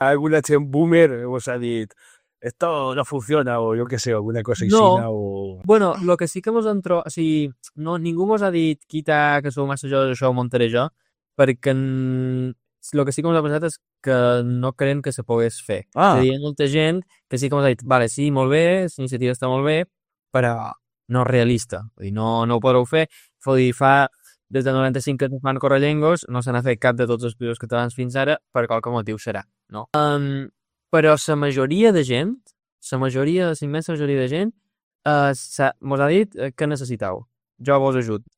alguna gent boomer vos ha dit esto no funciona o jo què sé, alguna cosa No, aixina o... bueno, el que sí que mos han trobat... O sigui, no, ningú mos ha dit quita que sou massa joves, això ho muntaré jo, perquè el que sí que mos ha passat és que no creiem que se pogués fer. És a dir, hi ha molta gent que sí que mos ha dit, vale, sí, molt bé, la iniciativa està molt bé, però no és realista. Vull dir, no ho podreu fer. Vull dir, fa des del 95 que es fan correllengos, no se n'ha fet cap de tots els països catalans fins ara, per qualque motiu serà, no? Però la majoria de gent, la immensa majoria de gent, mos ha dit que necessitau. Jo vos ajut.